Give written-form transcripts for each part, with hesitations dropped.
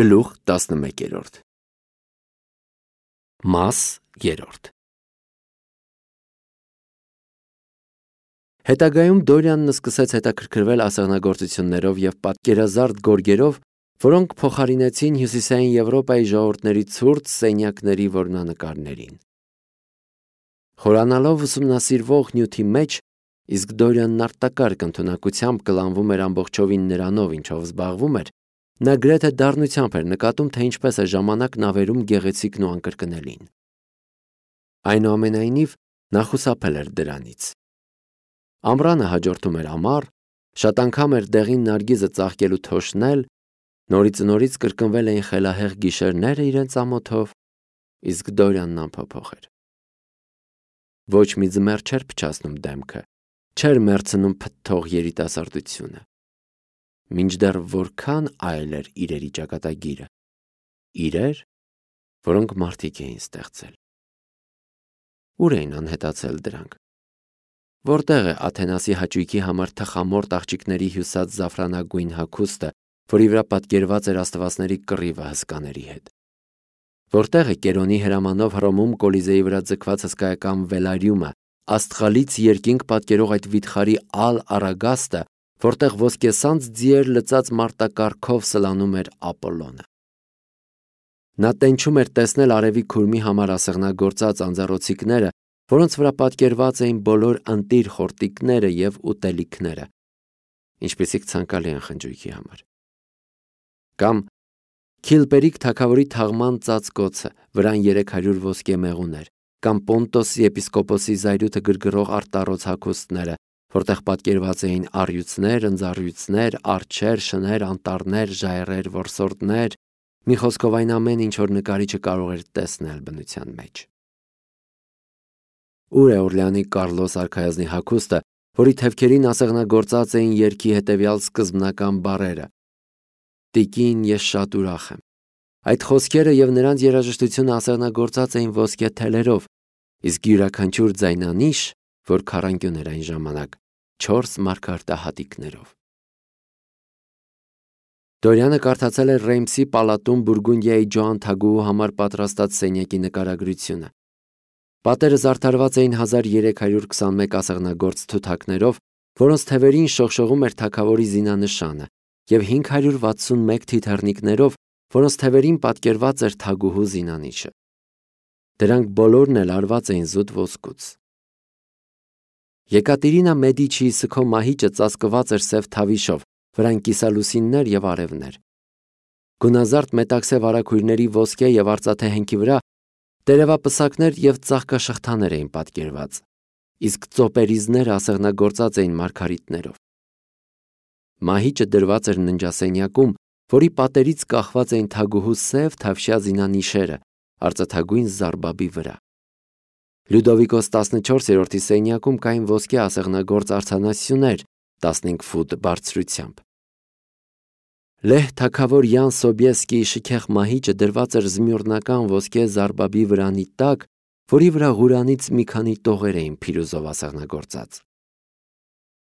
Գլուխ 11 Մաս 3 Հետագայում Դորյանն սկսեց հետաքրքրվել ասեղնագործություններով և պատկերազարդ գորգերով, որոնք փոխարինեցին Հյուսիսային Եվրոպայի ժողովուրդների ցուրտ սենյակների որմնանկարներին։ Խորանալով ուսումնասիրվող նյութի մեջ, իսկ Դորյանն արտակարգ ընդունակությամբ կլանվում էր ամբողջովին նրանով, ինչով զբաղվում էր, նա գրեթե դառնությամբ էր նկատում, թե ինչպես է ժամանակն ավերում գեղեցիկն ու անկրկնելին։ Այնուամենայնիվ, նա խուսափել էր դրանից։ Ամռանը հաջորդում էր ամառ, շատ անգամ էր դեղին նարգիզը ծաղկելու թոշնել, նորից կրկնվել էին խելահեղ գիշերները իրենց ամոթով, իսկ Դորյանն անփոփոխ էր։ Ոչ մի ձմեռ չէր փչացնում դեմքը, չէր մեռցնում փթթող երիտասարդությունը։ Մինչդեռ որքան այլ էր իրերի ճակատագիրը, իրեր, որոնք մարդիկ էին ստեղծել։ Ուր էին անհետացել դրանք։ Որտեղ է Աթենասի հաճույքի համար թխամորտ աղջիկների հյուսած զաֆրանագույն հագուստը, որի վրա պատկերված էր աստվածների կռիվը հսկաների հետ։ Որտեղ է Կերոնի հրամանով Հռոմում Կոլիզեի վրա ձգված հսկայական վելարիումը, աստղալից երկինք պատկերող այդ վիթխարի Ալ-Արագաստը, որտեղ ոսկեսանց ձիեր լծած մարտակառքով սլանում էր Ապոլոնը։ Նա տենչում էր տեսնել արևի քուրմի համար ասեղնագործած անձառոցիկները, որոնց վրա պատկերված էին բոլոր ընտիր խորտիկները և ուտելիքները, ինչպիսիք ցանկալի են խնջույքի համար։ Կամ Քիլպերիկ թագավորի թաղման ծածկոցը, վրան 300 ոսկե մեղուներ, կամ Պոնտոսի եպիսկոպոսի զայրույթը գրգռող արտառոց հագուստները, որտեղ պատկերված էին առյուծներ, ընձառյուծներ, արջեր, շներ, անտառներ, ժայռեր, որսորդներ, մի խոսքով այն ամեն ինչ, որ նկարիչը կարող էր տեսնել բնության մեջ։ Ուր է Օրլեանի Կարլոս արքայազնի հագուստը, որի թևքերին ասեղնագործած էին երգի հետևյալ սկզբնական բառերը. Տիկին, ես շատ ուրախ եմ։ Այդ խոսքերը և նրանց երաժշտությունը ասեղնագործած էին ոսկե թելերով, իսկ յուրաքանչյուր ձայնանիշ, որ քառանկյուն էր այն ժամանակ, 4 մարգարտահատիկներով։ Դորյանը կարդացել էր Ռեյմսի պալատում Բուրգունդիայի Ջոան թագուհու համար պատրաստած սենյակի նկարագրությունը։ Պատերը զարդարված էին 1321 ասեղնագործ թութակներով, որոնց թևերին շողշողում էր թագավորի զինանշանը, և 561 թիթեռնիկներով, որոնց թևերին պատկերված էր թագուհու զինանիշը։ Դրանք բոլորն էլ արված էին զուտ ոսկուց։ Եկատերինա Մեդիչիի սգո մահիճը ծածկված էր սև թավիշով, վրան կիսալուսիններ և արևներ։ Գունազարդ մետաքսե վարագույրների ոսկե և արծաթե հենքի վրա տերևապսակներ և ծաղկաշղթաներ էին պատկերված, իսկ ծոպերիզները ասեղնագործած էին մարգարիտներով։ Մահիճը դրված էր ննջասենյակում, որի պատերից կախված էին թագուհու սև թավշյա զինանիշերը արծաթագույն զարբաբի վրա։ Լյուդովիկոս 14-րդի սենյակում կային ոսկե ասեղնագործ արձանասյուներ 15 ֆուտ բարձրությամբ։ Լեհ թագավոր Յան Սոբիեսկիի շքեղ մահիճը դրված էր զմյուռնական ոսկե զարբաբի վրանի տակ, որի վրա Ղուրանից մի քանի տողեր էին փիրուզով ասեղնագործած։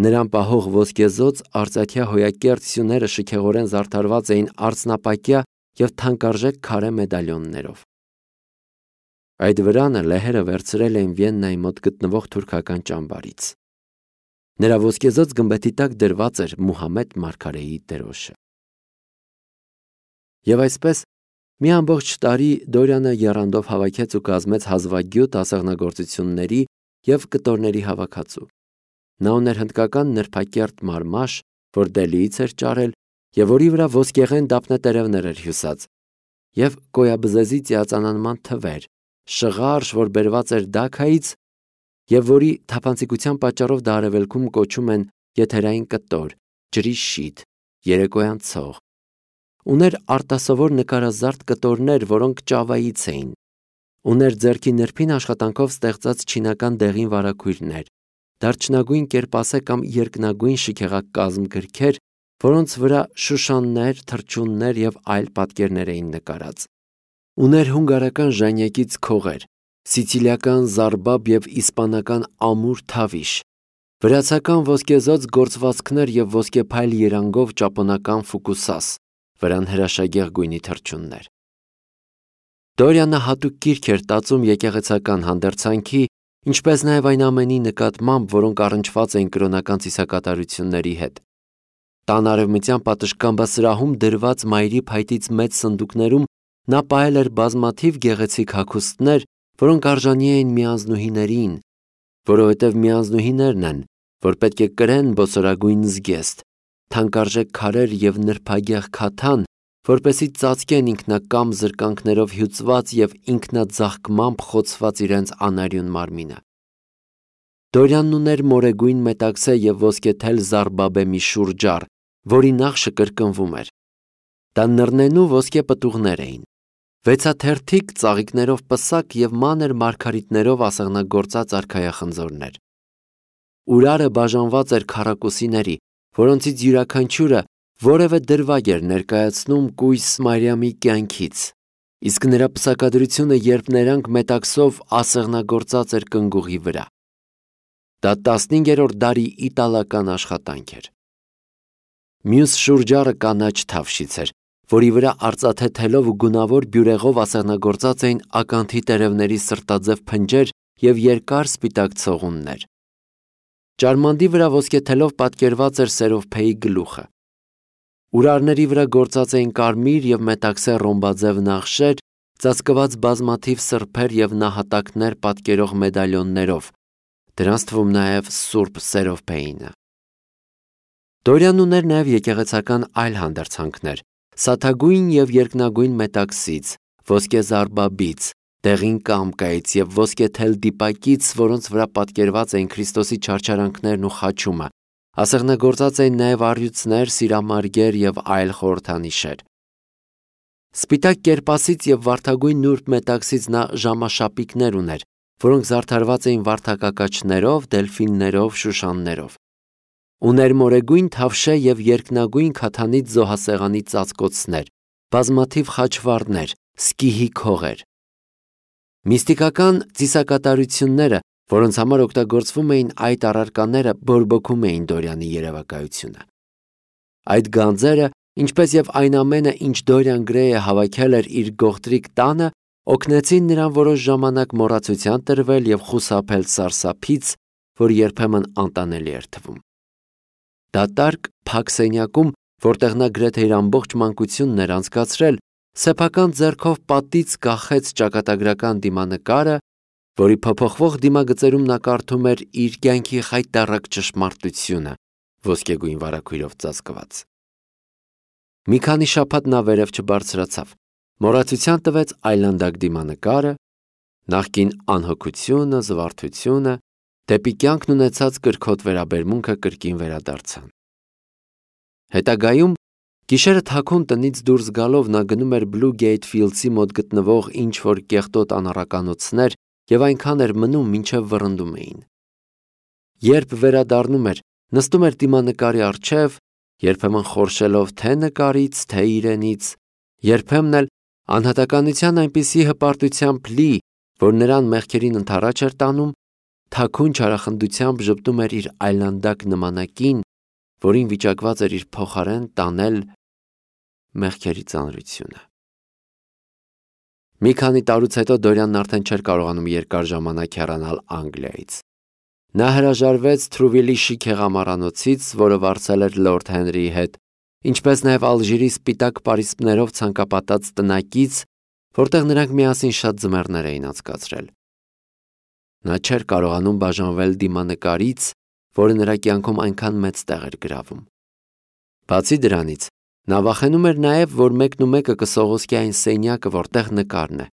Նրան պահող ոսկեզոծ արծաթյա հոյակերտ սյուները շքեղորեն զարդարված էին արծնապակյա և թանկարժեք քարե մեդալյոններով։ Այդ վրանը լեհերը վերցրել էին Վիեննայի մոտ գտնվող թուրքական ճամբարից։ Նրա ոսկեզոծ գմբեթի տակ դրված էր Մուհամեդ մարգարեի դրոշը։ Եվ այսպես, մի ամբողջ տարի Դորյանը եռանդով հավաքեց ու կազմեց հազվագյուտ ասեղնագործությունների և կտորների հավաքածու։ Նա ուներ հնդկական նրբակերտ մարմաշ, որ Դելիից էր ճարել և որի վրա ոսկեղեն դափնետերևներ էր հյուսած, և կոյաբզեզի ծիածանանման թվեր, շղարշ, որ բերված էր Դաքայից և որի թափանցիկության պատճառով դա արևելքում կոչում են եթերային կտոր, ջրի շիթ, երեկոյան ցող։ Ուներ արտասովոր նկարազարդ կտորներ, որոնք ճավայից էին։ Ուներ ձեռքի նրբին աշխատանքով ստեղծած չինական դեղին վարագույրներ, դարչնագույն կերպասե կամ երկնագույն շքեղակազմ գրքեր, որոնց վրա շուշաններ, թռչուններ և այլ պատկերներ էին նկարած։ Ուներ հունգարական ժանյակից քողեր, սիցիլիական զարբաբ և իսպանական ամուր թավիշ, վրացական ոսկեզոծ գործվածքներ և ոսկեփայլ երանգով ճապոնական ֆուկուսաս, վրան հրաշագեղ գույնի թռչուններ։ Դորյանը հատուկ գիրք էր տածում եկեղեցական հանդերձանքի, ինչպես նաև այն ամենի նկատմամբ, որոնք առնչված էին կրոնական ծիսակատարությունների հետ։ Տան արևմտյան պատշգամբասրահում դրված մայրի փայտից մեծ սնդուկներում նա պահել էր բազմաթիվ գեղեցիկ հագուստներ, որոնք արժանի էին միանձնուհիներին, որովհետև միանձնուհիներն են, որ պետք է կրեն բոցորագույն զգեստ, թանկարժեք քարեր և նրբագեղ քաթան, որպեսզի ծածկեն ինքնակամ զրկանքներով հյուծված և ինքնաձաղկմամբ խոցված իրենց անարյուն մարմինը։ Դորյանն ուներ մորեգույն մետաքսե և ոսկեթել զարբաբեմի շուրջառ, որի նախշը կրկնվում էր։ Դա նռնենու ոսկե պտուղներ էին, վեցաթերթիկ ծաղիկներով պսակ և մանր մարգարիտներով ասեղնագործած արքայախնձորներ։ Ուրարը բաժանված էր քառակուսիների, որոնցից յուրաքանչյուրը որևէ դրվագ էր ներկայացնում կույս Մարիամի կյանքից, իսկ նրա պսակադրությունը երբ ներանք մետաքսով ասեղնագործած էր կնգուղի վրա։ Դա 15-րդ դարի իտալական աշխատանք էր։ Մյուս շուրջառը կանաչ թավշից էր, որի վրա արծաթե թելով ու գունավոր բյուրեղով ասեղնագործած էին ականթի տերևների սրտաձև փնջեր և երկար սպիտակ ցողուններ։ Ճարմանդի վրա ոսկեթելով պատկերված էր սերովփեի գլուխը։ Ուրարների վրա գործած էին կարմիր և մետաքսե ռոմբաձև նախշեր, ծածկված բազմաթիվ սրբեր և նահատակներ պատկերող մեդալյոններով, դրանց թվում նաև Սուրբ Սերովփեինը։ Դորյանն ուներ նաև եկեղեցական այլ հանդերձանքներ՝ սաթագույն և երկնագույն մետաքսից, ոսկե զարբաբից, դեղին կամկայից և ոսկեթել դիպակից, որոնց վրա պատկերված էին Քրիստոսի չարչարանքներն ու խաչումը, ասեղնագործած էին նաև առյուծներ, սիրամարգեր և այլ խորհրդանիշեր։ Սպիտակ կերպասից և վարդագույն նուրբ մետաքսից նա ժամաշապիկներ ուներ, որոնք զարդարված էին վարդակակաչներով, դելֆիններով, շուշաններով։ Ուներ մորեգույն թավշե և երկնագույն քաթանից զոհասեղանի ծածկոցներ, բազմաթիվ խաչվառներ, սկիհի քողեր։ Միստիկական ծիսակատարությունները, որոնց համար օգտագործվում էին այդ առարկաները, բորբոքում էին Դորյանի երևակայությունը։ Այդ գանձերը, ինչպես և այն ամենը, ինչ Դորյան Գրեյը հավաքել էր իր գողտրիկ տանը, օգնեցին նրան որոշ ժամանակ մոռացության տրվել և խուսափել սարսափից, որ երբեմն անտանելի էր թվում։ Դատարկ փակ սենյակում, որտեղ նա գրեթե իր ամբողջ մանկությունն էր անցկացրել, սեփական ձեռքով պատից կախեց ճակատագրական դիմանկարը, որի փոփոխվող դիմագծերում նա կարդում էր իր կյանքի խայտառակ ճշմարտությունը, ոսկեգույն վարագույրով ծածկված։ Մի քանի շաբաթ նա վերև չբարձրացավ, մոռացության տվեց այլանդակ դիմանկարը, նախկին անհոգությունը, զվարթությունը, դեպի կյանքն ունեցած կրքոտ վերաբերմունքը կրկին վերադարձան։ Հետագայում գիշերը թաքուն տնից դուրս գալով նա գնում էր Բլու Գեյթ Ֆիլդսի մոտ գտնվող ինչ-որ կեղտոտ անառականոցներ և այնքան էր մնում, մինչև վռնդում էին։ Երբ վերադառնում էր, նստում էր դիմանկարի առջև, երբեմն խորշելով թե նկարից, թե իրենից, երբեմն էլ անհատականության այնպիսի հպարտությամբ լի, որ նրան մեղքերին ընդառաջ էր տանում, թաքուն չարախնդությամբ ժպտում էր իր այլանդակ նմանակին, որին վիճակված էր իր փոխարեն տանել մեղքերի ծանրությունը։ Մի քանի տարուց հետո Դորյանն արդեն չէր կարողանում երկար ժամանակ հեռանալ Անգլիայից։ Նա հրաժարվեց Թրուվիլի շիկ հեղամառանոցից, որը վարձել էր Լորդ Հենրիի հետ, ինչպես նաև Ալժիրի սպիտակ պարիսպներով ցանկապատած տնակից, որտեղ նրանք միասին շատ ձմեռներ էին անցկացրել։ Նա չէր կարողանում բաժանվել դիմանկարից, որը նրա կյանքում այնքան մեծ տեղ էր գրավում։ Բացի դրանից, նա վախենում էր նաև, որ մեկնումեկը կսողոսկի այն սենյակը, որտեղ նկարն է,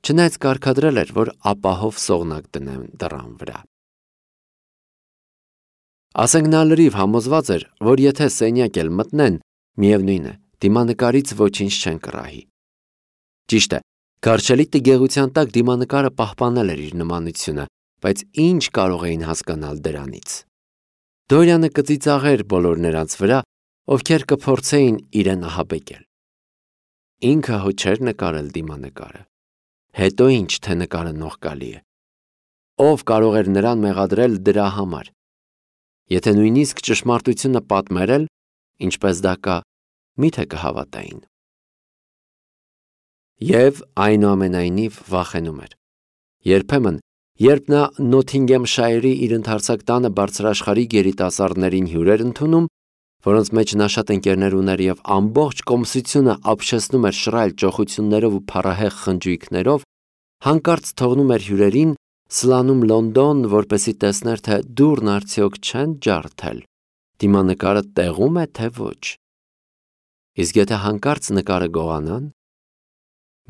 չնայած կարգադրել էր, որ ապահով սողնակ դնեն դռան վրա։ Ասենք նա լրիվ համոզված էր, որ եթե սենյակ էլ մտնեն, միևնույն է, դիմանկարից ոչինչ չեն կռահի։ Ճիշտ է, Գարշելի տգեղության տակ դիմանկարը պահպանել էր իր նմանությունը, բայց ինչ կարող էին հասկանալ դրանից։ Դորյանը կծիծաղեր բոլոր նրանց վրա, ովքեր կփորձեին իրեն ահաբեկել։ Ինքը հո չէր նկարել դիմանկարը։ Հետո ինչ, թե նկարը նողկալի է։ Ով կարող էր նրան մեղադրել դրա համար։ Եթե նույնիսկ ճշմարտությունը պատմեր էլ, ինչպես դա կա, միթե կհավատային։ Եվ այնուամենայնիվ վախենում էր։ Երբեմն, երբ նա Նոթինգեմշայրի իր ընդարձակ տանը բարձրաշխարհիկ երիտասարդներին հյուրեր ընդունում, որոնց մեջ նա շատ ընկերներ ուներ և ամբողջ կոմսությունը ապշեցնում էր շռայլ ճոխություններով ու փառահեղ խնջույքներով, հանկարծ թողնում էր հյուրերին, սլանում Լոնդոն, որպեսզի տեսներ, թե դուռն արդյոք չեն ջարդել, դիմանկարը տեղում է, թե ոչ։ Իսկ եթե հանկարծ նկարը գողանան,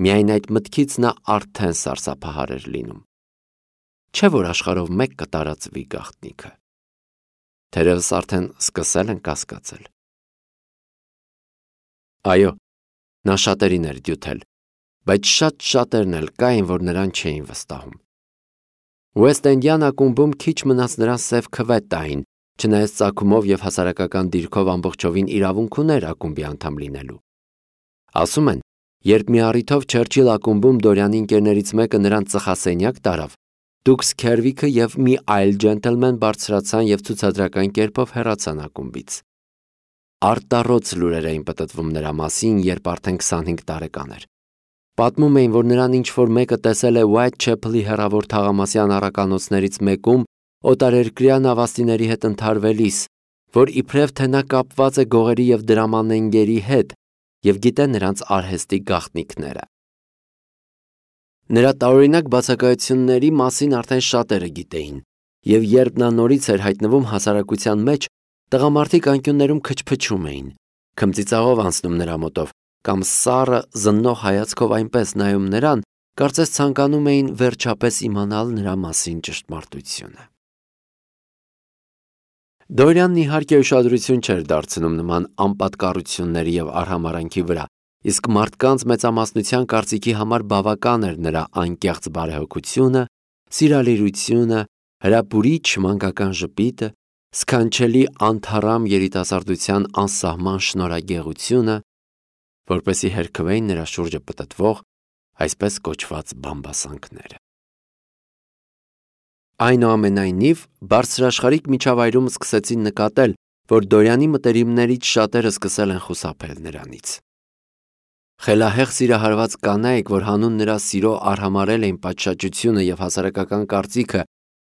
միայն այդ մտքից նա արդեն սարսափահար էր լինում։ Չէ՞ որ աշխարհով մեկ կտարածվի գաղտնիքը։ Թերևս արդեն սկսել են կասկածել։ Այո, նա շատերին էր դյութել, բայց շատ շատերն էլ կային, որ նրան չէին վստահում։ Ուեստ-Էնդյան ակումբում քիչ մնաց նրան սև քվե տային, չնայած ծագումով և հասարակական դիրքով ամբողջովին իրավունք ուներ ակումբի անդամ լինելու։ Ասում են, երբ մի առիթով Չերչիլ ակումբում Դորյանի ընկերներից մեկը նրան ծխասենյակ տարավ, Դուքս Քերվիքը և մի այլ ջենտլմեն բարձրացան և ցուցադրական կերպով հեռացան ակումբից։ Արտառոց լուրեր էին պտտվում նրա մասին, երբ արդեն 25 տարեկան էր։ Պատմում էին, որ նրան ինչ-որ մեկը տեսել է Ուայթչեփլի հեռավոր թաղամասյան առականոցներից մեկում օտարերկրյա նավաստիների հետ ընդհարվելիս, որ իբրև թե նա կապված է գողերի և դրամանենգերի հետ և գիտե նրանց արհեստի գաղտնիքները։ Նրա տարօրինակ բացակայությունների մասին արդեն շատերը գիտեին, և երբ նա նորից էր հայտնվում հասարակության մեջ, տղամարդիկ անկյուններում քչփչում էին, քմծիծաղով անցնում նրա մոտով, կամ սառը զննող հայացքով այնպես նայում նրան, կարծես ցանկանում էին վերջապես իմանալ նրա մասին ճշմարտությունը։ Դորյանն իհարկե ուշադրություն չէր դարձնում նման անպատկառությունների և արհամարհանքի վրա, իսկ մարդկանց մեծամասնության կարծիքի համար բավական էր նրա անկեղծ բարեհոգությունը, սիրալիրությունը, հրապուրիչ մանկական ժպիտը, սքանչելի անթառամ երիտասարդության անսահման շնորհագեղությունը, որպեսզի հերքվեին նրա շուրջը պտտվող այսպես կոչված բամբասանքները։ Այնուամենայնիվ, բարձրաշխարհիկ միջավայրում սկսեցին նկատել, որ Դորյանի մտերիմներից շատերը սկսել են խուսափել նրանից։ Խելահեղ սիրահարված կանայք, որ հանուն նրա սիրո արհամարհել էին պատշաճությունը և հասարակական կարծիքը,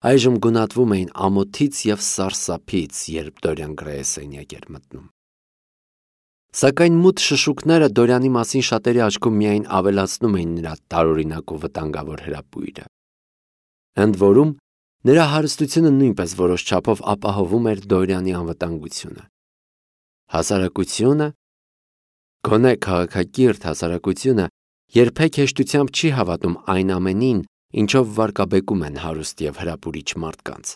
այժմ գունատվում էին ամոթից և սարսափից, երբ Դորյան Գրեյը սենյակ էր մտնում։ Սակայն մութ շշուկները Դորյանի մասին շատերի աչքում միայն ավելացնում էին նրա տարօրինակ ու վտանգավոր հրապույրը։ Ընդ որում, նրա հարստությունը նույնպես որոշ չափով ապահովում էր Դորյանի անվտանգությունը։ Հասարակությունը, գոնե քաղաքակիրթ հասարակությունը, երբեք հեշտությամբ չի հավատում այն ամենին, ինչով վարկաբեկում են հարուստ և հրապուրիչ մարդկանց։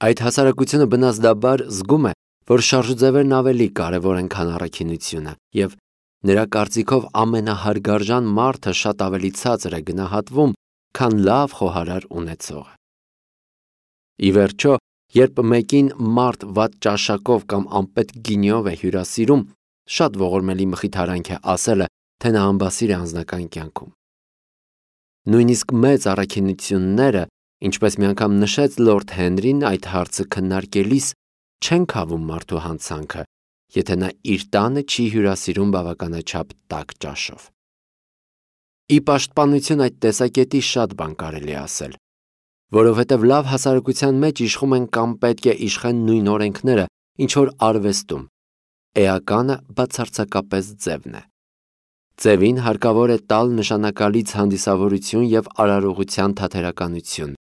Այդ հասարակությունը բնազդաբար զգում է, որ շարժուձևերն ավելի կարևոր են, քան առաքինությունը, և նրա կարծիքով ամենահարգարժան մարդը շատ ավելի ցածր է գնահատվում, քան լավ խոհարար ունեցողը։ Ի վերջո, երբ մեկին մարդ վատ ճաշակով կամ անպետք գինիով է հյուրասիրում, շատ ողորմելի մխիթարանք է ասելը, թե նա անբասիր է անձնական կյանքում։ Նույնիսկ մեծ առաքինությունները, ինչպես մի անգամ նշեց Լորդ Հենրին այդ հարցը քննարկելիս, չեն քավում մարդու հանցանքը, եթե նա իր տանը չի հյուրասիրում բավականաչափ տաք ճաշով։ Ի պաշտպանություն այդ տեսակետի շատ բան կարելի է ասել, որովհետև լավ հասարակության մեջ իշխում են կամ պետք է իշխեն նույն օրենքները, ինչ որ արվեստում, էականը բացարձակապես ձևն է։ Ձևին հարկավոր է տալ նշանակալից հանդիսավորություն և արարողության թատերականություն։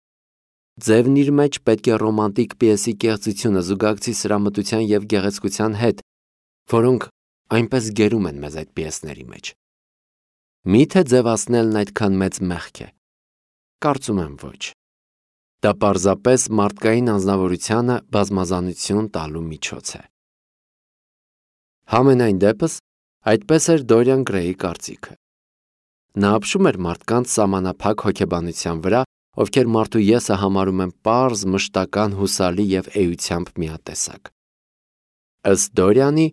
Ձևն իր մեջ պետք է ռոմանտիկ պիեսի կեղծությունը զուգակցի սրամտության և գեղեցկության հետ, որոնք այնպես գերում են մեզ այդ պիեսների մեջ։ Մի՞թե ձևացնելն այդքան մեծ մեղք է։ Կարծում եմ ոչ։ Դա պարզապես մարդկային անձնավորությանը բազմազանություն տալու միջոց է։ Համենայն դեպս, այդպես էր Դորյան Գրեյի կարծիքը։ Նա ապշում էր մարդկանց սահմանափակ հոգեբանության վրա, ովքեր մարդու եսը համարում են պարզ, մշտական, հուսալի և էությամբ միատեսակ։ Ըստ Դորյանի,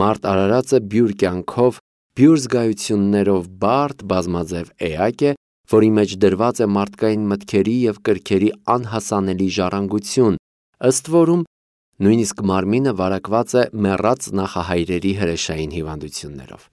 մարդ արարածը բյուր կյանքով, բյուր զգայություններով բարդ, բազմաձև էակ է, որի մեջ դրված է մարդկային մտքերի և կրքերի անհասանելի ժառանգություն, ըստ որում Նույնիսկ մարմինը վարակված է մեռած նախահայրերի հրեշային հիվանդություններով։